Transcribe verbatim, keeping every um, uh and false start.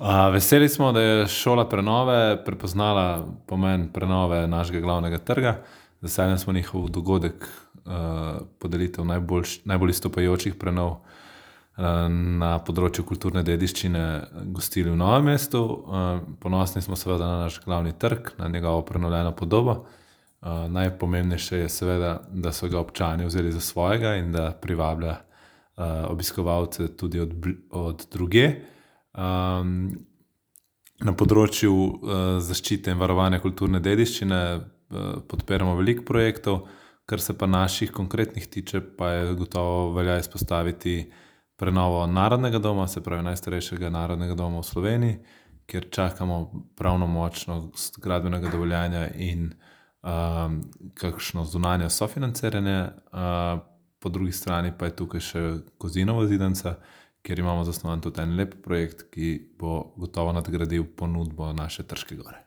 A, veseli smo, da je šola prenove prepoznala pomen prenove našega glavnega trga. Z veseljem smo njihov dogodek, podelitev najbolj izstopajočih prenov, na področju kulturne dediščine gostili v Novem mestu. Ponosni smo seveda na naš glavni trg, na njegovo prenovljeno podobo. Najpomembnejše je seveda, da so ga občani vzeli za svojega in da privablja, obiskovalce tudi od od drugje. Na področju, zaščite in varovanja kulturne dediščine, podpiramo veliko projektov, kar se pa naših konkretnih tiče, pa je gotovo velja izpostaviti prenovo Narodnega doma, se pravi najstarejšega narodnega doma v Sloveniji, kjer čakamo pravnomočnost gradbenega dovoljenja in, kakšno zunanje sofinanciranje. Po drugi strani pa je tukaj še Kozinova zidanica, kjer imamo zasnovan tudi en lep projekt, ki bo gotovo nadgradil ponudbo naše Trške gore.